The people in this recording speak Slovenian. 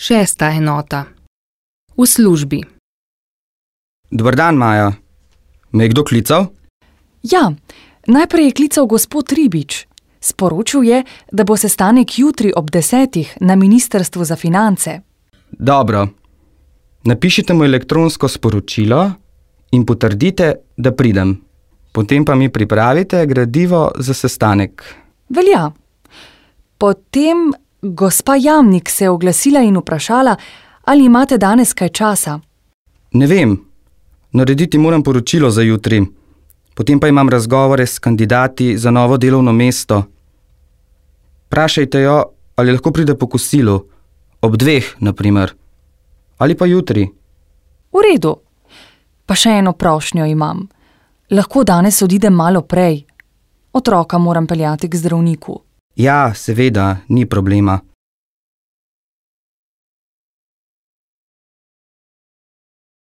6. enota. V službi. Dober dan, Maja. Me je kdo klical? Ja, najprej je klical gospod Ribič. Sporočil je, da bo sestanek jutri ob 10. na Ministrstvu za finance. Dobro. Napišite mu elektronsko sporočilo in potrdite, da pridem. Potem pa mi pripravite gradivo za sestanek. Velja. Potem gospa Jamnik se je oglasila in vprašala, ali imate danes kaj časa. Ne vem. Narediti moram poročilo za jutri. Potem pa imam razgovore s kandidati za novo delovno mesto. Vprašajte jo, ali lahko pride po kosilu. Ob 2, na primer. Ali pa jutri. V redu. Pa še eno prošnjo imam. Lahko danes odidem malo prej. Otroka moram peljati k zdravniku. Ja, seveda, ni problema.